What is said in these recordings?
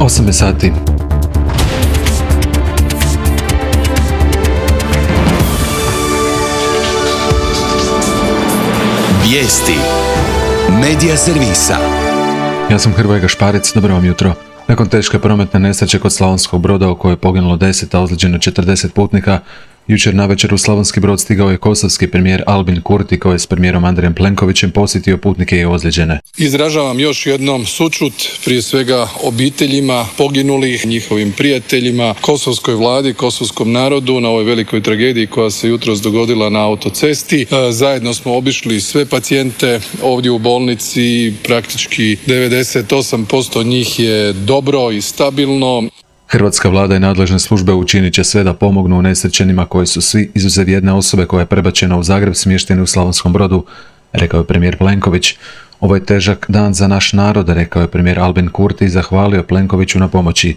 8 je sati. Vijesti Medija servisa. Ja sam Hrvoje Gašparic, dobro vam jutro. Nakon teške prometne nesreće kod Slavonskog Broda u kojoj je poginulo 10, a ozlijeđeno 40 putnika, jučer navečer u Slavonski Brod stigao je kosovski premijer Albin Kurti koji je s premijerom Andrejem Plenkovićem posjetio putnike i ozlijeđene. Izražavam još jednom sućut prije svega obiteljima poginulih, njihovim prijateljima, kosovskoj vladi, kosovskom narodu na ovoj velikoj tragediji koja se jutros dogodila na autocesti. Zajedno smo obišli sve pacijente ovdje u bolnici, praktički 98% njih je dobro i stabilno. Hrvatska vlada i nadležne službe učinit će sve da pomognu unesrećenima koji su svi, izuzev jedne osobe koja je prebačena u Zagreb, smješteni u Slavonskom Brodu, rekao je premijer Plenković. Ovo je težak dan za naš narod, rekao je premijer Albin Kurti i zahvalio Plenkoviću na pomoći.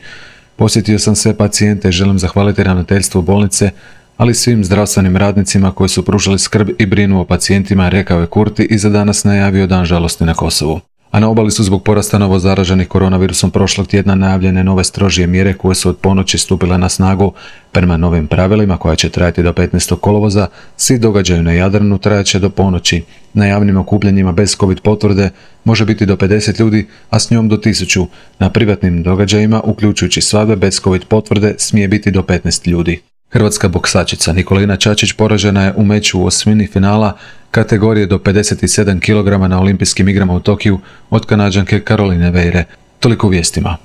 Posjetio sam sve pacijente i želim zahvaliti ravnateljstvu bolnice, ali svim zdravstvenim radnicima koji su pružali skrb i brinu o pacijentima, rekao je Kurti i za danas najavio dan žalosti na Kosovu. A na obali su zbog porasta novo zaraženih koronavirusom prošlog tjedna najavljene nove strožije mjere koje su od ponoći stupile na snagu. Prema novim pravilima koja će trajati do 15. kolovoza, svi događaji na Jadranu trajaće do ponoći. Na javnim okupljanjima bez COVID potvrde može biti do 50 ljudi, a s njom do 1000. Na privatnim događajima, uključujući svadbe bez COVID potvrde, smije biti do 15 ljudi. Hrvatska boksačica Nikolina Čačić poražena je u meču u osmini finala kategorije do 57 kg na olimpijskim igrama u Tokiju od Kanađanke Caroline Veire. Toliko u vijestima.